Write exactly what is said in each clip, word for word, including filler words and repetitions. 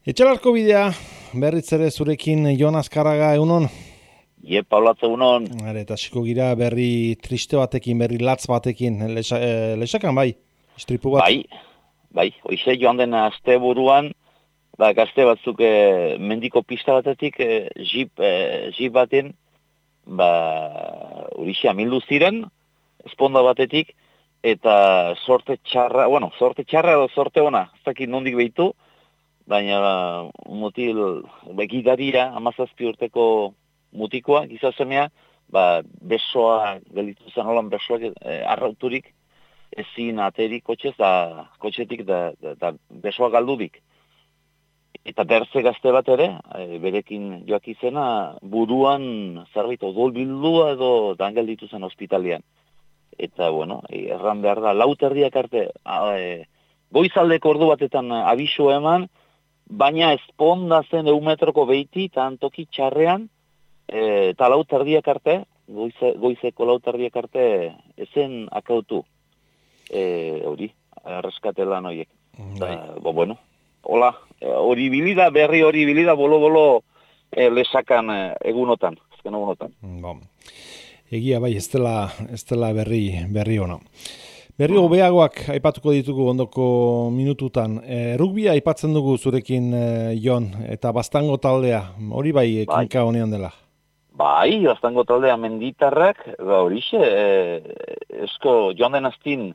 Etxalarko bidea, berriz ere zurekin Jon Azkarraga, egunon? Ie, Paulatze, egunon. Hare, eta xiko gira berri triste batekin, berri latz batekin, Lesa, e, lesakan bai, istripu bat? Bai, bai, hoize joan den aste buruan, ba, gazte batzuk e, mendiko pista batetik, e, jip, e, jip baten, ba, horixe amildu ziren, esponda batetik, eta sorte txarra, bueno, sorte txarra edo sorte ona, ez dakit nondik behitu, baina mutil begidaria, amazazpi urteko mutikoa, gizasemea, ba, besoa, gelitu zen holan besoak e, arrauturik, ezin aterik kotxez, da, kotxetik da, da, da besoa galdudik. Eta berze gazte bat ere, e, berekin joak izena, buruan zerbait odol bildua edo dan gelditu zen ospitalian. Eta, bueno, e, erran behar da, lau terdiak arte, a, e, goizaldeko ordu batetan abisu eman, baina esponda zen eumetroko behiti, eta antoki txarrean, e, eta lau terdiak arte, goize, goizeko lau terdiak arte, ezen akautu. E, hori, erreskate lan horiek. Bai. Bo, bueno, hola, hori bilida, berri hori bilida, bolo-bolo e, lesakan e, egunotan, ezken egunotan. Bo. Egia bai, ez dela, ez dela berri, berri ona. Berri hobeagoak aipatuko ditugu ondoko minututan. E, rugbia aipatzen dugu zurekin, e, Jon, eta Baztango taldea, hori bai ekinka bai. Honean dela. Bai, Baztango taldea menditarrak, ba horixe, e, esko joan den astin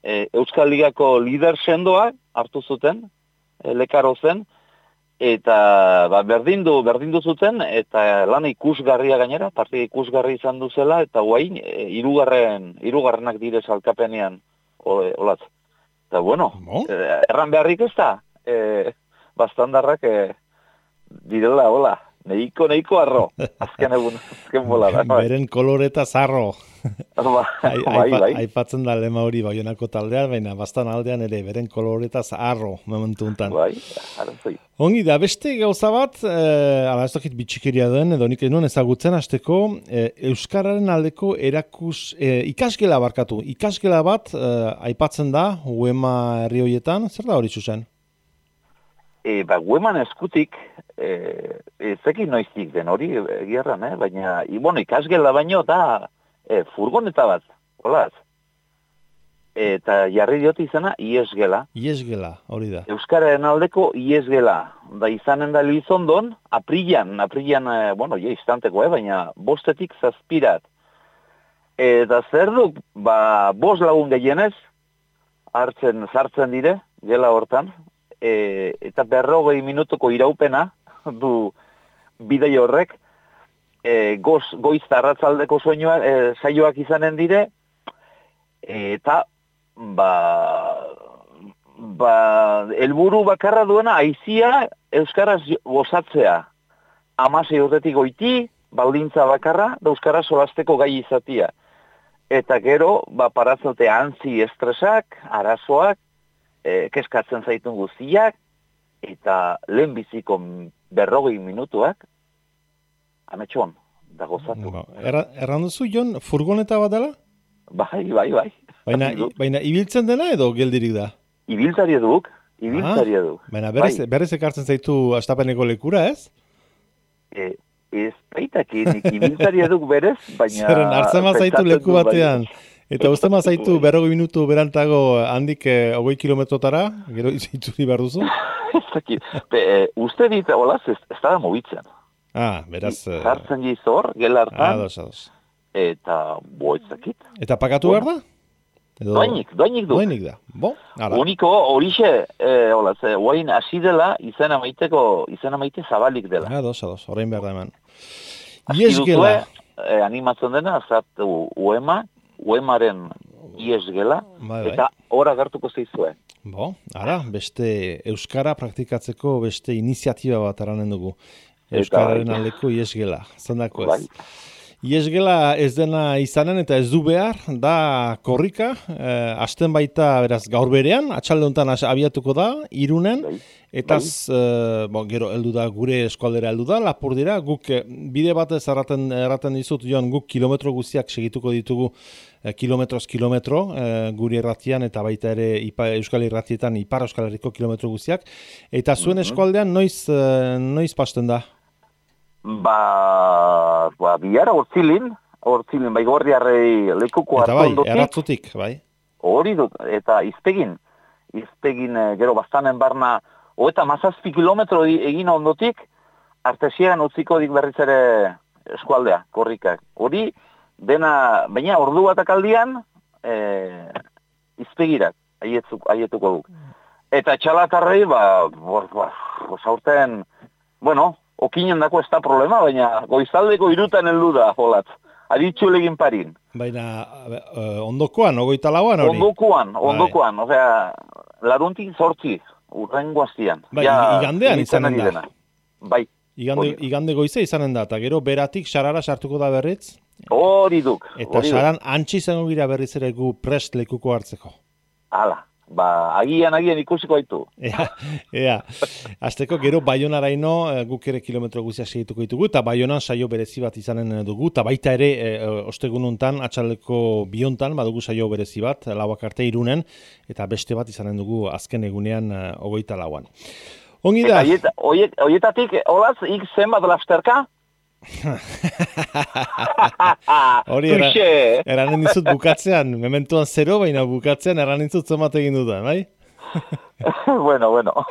e, Euskal Ligako lider sendoa hartu zuten, e, lekaro zen, eta ba, berdindu, berdindu zuten, eta lan ikusgarria gainera, partida ikusgarri izan duzela, eta guain, e, irugarren, irugarrenak dire salkapenean, olatz. Eta bueno, no? e, erran beharrik ez da, e, Baztandarrak e, direla, hola, neiko, neiko arro, azken egun, azken bola da. Beren koloreta zarro. bai, bai, bai. Aipatzen da lema hori Baionako taldea, baina Baztan aldean ere, beren koloreta zarro, momentu untan. Bai, arantzoi. Ongi da, beste gauza bat, eh, ala ez dakit bitxikeria den, edo nik enuen ezagutzen hasteko, eh, Euskararen aldeko erakus, eh, ikasgela barkatu, ikasgela bat eh, aipatzen da, Uema herri horietan, zer da hori zuzen? E, ba, Ueman eskutik, e, ezekin noiztik den hori, egiarran, eh? Baina, i, bueno, ikasgela baino da e, furgoneta bat, holaz. Eta jarri diot izena, iesgela. Iesgela, hori da. Euskararen aldeko iesgela. Da izanen da Lizondon, aprilan, aprilan, e, bueno, ja, istanteko, eh? Baina bostetik zazpirat. Eta zer duk, ba, bost lagun gehienez, hartzen, sartzen dire, gela hortan, E, eta berrogei minutuko iraupena du bidei horrek, e, goz, goiz arratzaldeko soinua, e, saioak izanen dire, e, eta ba, ba, helburu bakarra duena aizia euskaraz gozatzea. Hamasei urtetik goiti, baldintza bakarra, da euskaraz solasteko gai izatia. Eta gero, ba, parazote antzi estresak, arazoak, E, keskatzen zaitun guztiak, eta lehenbiziko berrogei minutuak, ametxon, da gozatu. Ba, erra, erran duzu, Jon, furgoneta bat dela? Bai, bai, bai. Baina, baina ibiltzen dena edo geldirik da? Ibiltari eduk, ibiltari ah, eduk. Baina berez, bai. berez ekartzen zaitu astapeneko lekura, ez? E, ez baitakin, ibiltari eduk berez, baina... Zeren, hartzen mazaitu leku batean. Bai. Eta uste mazaitu berrogei minutu berantago handik eh, hogei kilometrotara, gero itzuri behar duzu? Be, uste dit, holaz, ez, ez da mobitzen. Ah, beraz... Zartzen jiz hor, gela hartan. Ados, ados. Eta, bo, ezakit. Eta pagatu behar da? Edo... Doainik, doainik du. Doainik da, bo, ara. Uniko, horixe, eh, holaz, eh, oain hasi dela, izena maiteko, izena maite zabalik dela. Ados, ados, orain behar da eman. Iesgela. Eh, animatzen dena, zart uema, Uemaren iesgela, bai, bai. Eta hor agertuko zeizue. Bo, ara, beste Euskara praktikatzeko beste iniziatiba bat aranen dugu. Euskararen bai. Aldeko iesgela, zendako ez. Bai. Iesgela ez dena izanen eta ez du behar, da korrika, eh, hasten baita beraz gaur berean, atxalde honetan abiatuko da, Irunen, bai. Eta uh, bon, gero heldu da gure eskualdera heldu da, lapur dira, guk eh, bide batez erraten, erraten dizut, Jon, guk kilometro guztiak segituko ditugu eh, kilometroz kilometro eh, guri erratian eta baita ere ipa, Euskal Irratietan Ipar Euskal Herriko kilometro guztiak. Eta zuen mm-hmm. eskualdean noiz, eh, noiz pasten da? Ba, ba biara hortzilin, hortzilin, bai gorriarrei lekuko hartu ondotik. Eta bai, erratzutik, bai? Hori dut, eta izpegin, izpegin eh, gero bastanen barna, Oeta mazazpi kilometro egin ondotik, artesian utziko dik berriz ere eskualdea, korrikak. Hori, dena, baina ordu batak aldian, e, izpegirak, aietzuk, aietuko duk. Eta txalatarrei, ba, zaurten, bueno, okinen dako ez da problema, baina goizaldeko irutan heldu da, jolatz. Aditxu legin parin. Baina, ondokoan, ogoita lauan hori? Ondokoan, ondokoan, bai. Osea, laruntik zortzi. Urrengo hastian. Bai, ja, igandean izanen da. Bai. Igande, igande goize izanen da, eta gero beratik sarara sartuko da berriz. Hori duk. Eta saran antxi izango gira berriz ere gu prest lekuko hartzeko. Hala, ba, agian, agian ikusiko haitu. Ea, ea. Azteko gero Baionaraino guk ere kilometro guztiak segituko ditugu, eta Baionan saio berezi bat izanen dugu, eta baita ere e, ostegununtan, atxaldeko biontan, badugu saio berezi bat, lauak arte Irunen, eta beste bat izanen dugu azken egunean hogeita lauan. Ongi da? Eta horietatik, olaz, ik zenbat lasterka? Hori era, eranen dizut bukatzean, mementuan zero, baina bukatzean eranen dizut zenbat egin dudan, bai? bueno, bueno.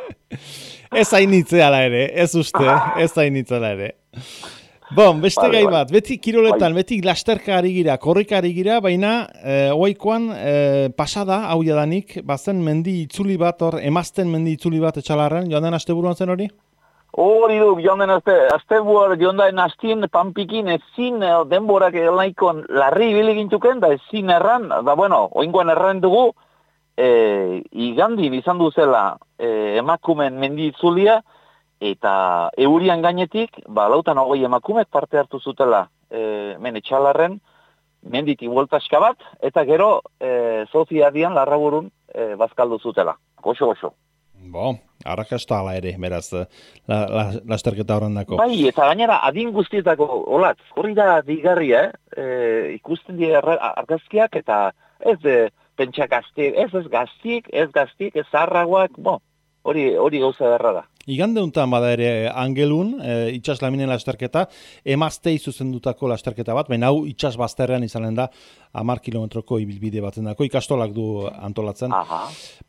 Ez hainitze ala ere, ez uste, ez hainitze ala ere. Bon, beste vale, gai bat, beti kiroletan, bai. Beti lasterka ari gira, korrika ari gira, baina eh, oaikoan eh, pasada, hau jadanik, bazen mendi itzuli bat, hor, emazten mendi itzuli bat etxalarren, joan den asteburuan zen hori? Hori du, joan den azte, asteburuan joan den aztien, panpikin, ezin denborak elaikon larri biligintuken, da ezin erran, da bueno, oingoan erran dugu, e, igandin izan duzela e, emakumen mendi itzulia, eta eurian gainetik, ba, lautan hogei emakumek parte hartu zutela e, men etxalarren, menditik bueltaska bat, eta gero e, soziadian larraburun e, bazkaldu zutela. Goxo, goxo. Bo, arrakasta ala ere, beraz, la, la, lasterketa horren dako. Bai, eta gainera, adin guztietako, olatz, hori da digarria, eh? e, ikusten dira argazkiak, eta ez e, pentsa gaztiek, ez ez gaztiek, ez gaztiek, ez zarragoak, bo, hori, hori gauza derra da. Igande honetan bada ere Angelun, e, itxas laminen lasterketa, emaztei zuzendutako lasterketa bat, baina hau itxas bazterrean izanen da, hamar kilometroko ibilbide baten dako, ikastolak du antolatzen, Aha.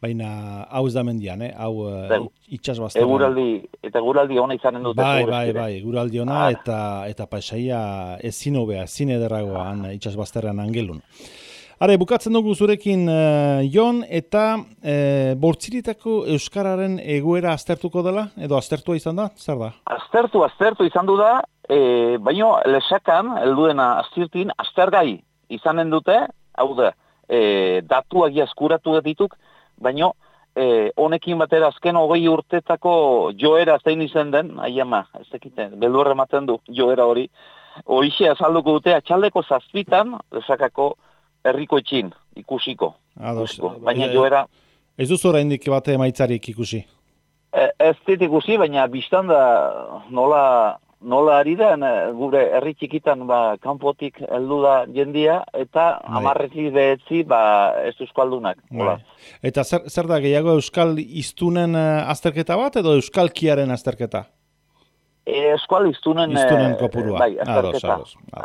baina hau ez da mendian, eh? hau e, itxas bazterrean. Eguraldi, eta eguraldi ona izanen dute. Bai, bai, bai, eguraldi ona ah. eta, eta paisaia ezin hobea, ezin ederragoan ah. itxas bazterrean Angelun. Are, bukatzen dugu zurekin, uh, Jon, eta uh, bortziritako Euskararen egoera aztertuko dela, edo aztertua izan da, zer da? Aztertu, aztertu izan du da, e, baino lesakan, helduena aztirtin, aztergai izanen dute, hau da, e, datuak jaskuratu dituk, baino e, honekin batera azken hogei urtetako joera zein izan den, aiama, ez dakiten, beldurre ematen du joera hori, horixe azalduko dute, atxaldeko zazpitan, lesakako, herriko etxin, ikusiko. Ados, ikusiko. Baina joera... Ez duzu oraindik bate emaitzarik ikusi? E, ez dit ikusi, baina biztan da nola, nola ari da, gure herri txikitan ba, kanpotik heldu da jendia, eta hamarrezi behetzi ba, ez euskaldunak. Eta zer, zer da gehiago euskal iztunen azterketa bat, edo euskalkiaren azterketa? Eskual iztunen, iztunen kopurua. Bai, azterketa.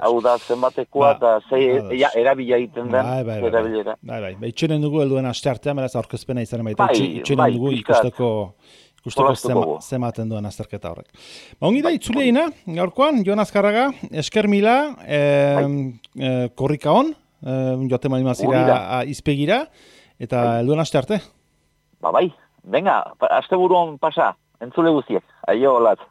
Hau da, zenbatekoa, eta ba, zei, ja, erabila egiten den. Bai, bai, bai. Erabilera. Bai, bai. Ba, itxenen dugu helduen aste artean, beraz, aurkezpena izan baita. Bai, itxenen bai, dugu ikusteko, ikusteko zema, zematen duen azterketa horrek. Ba, ongi da, itzuleina, gaurkoan, Jon Azkarraga, esker mila, e, e, korrika hon, e, joate malimazira izpegira, eta helduen aste arte. Ba, bai, venga, aste buruan pasa, entzule guztiek, aio, olat.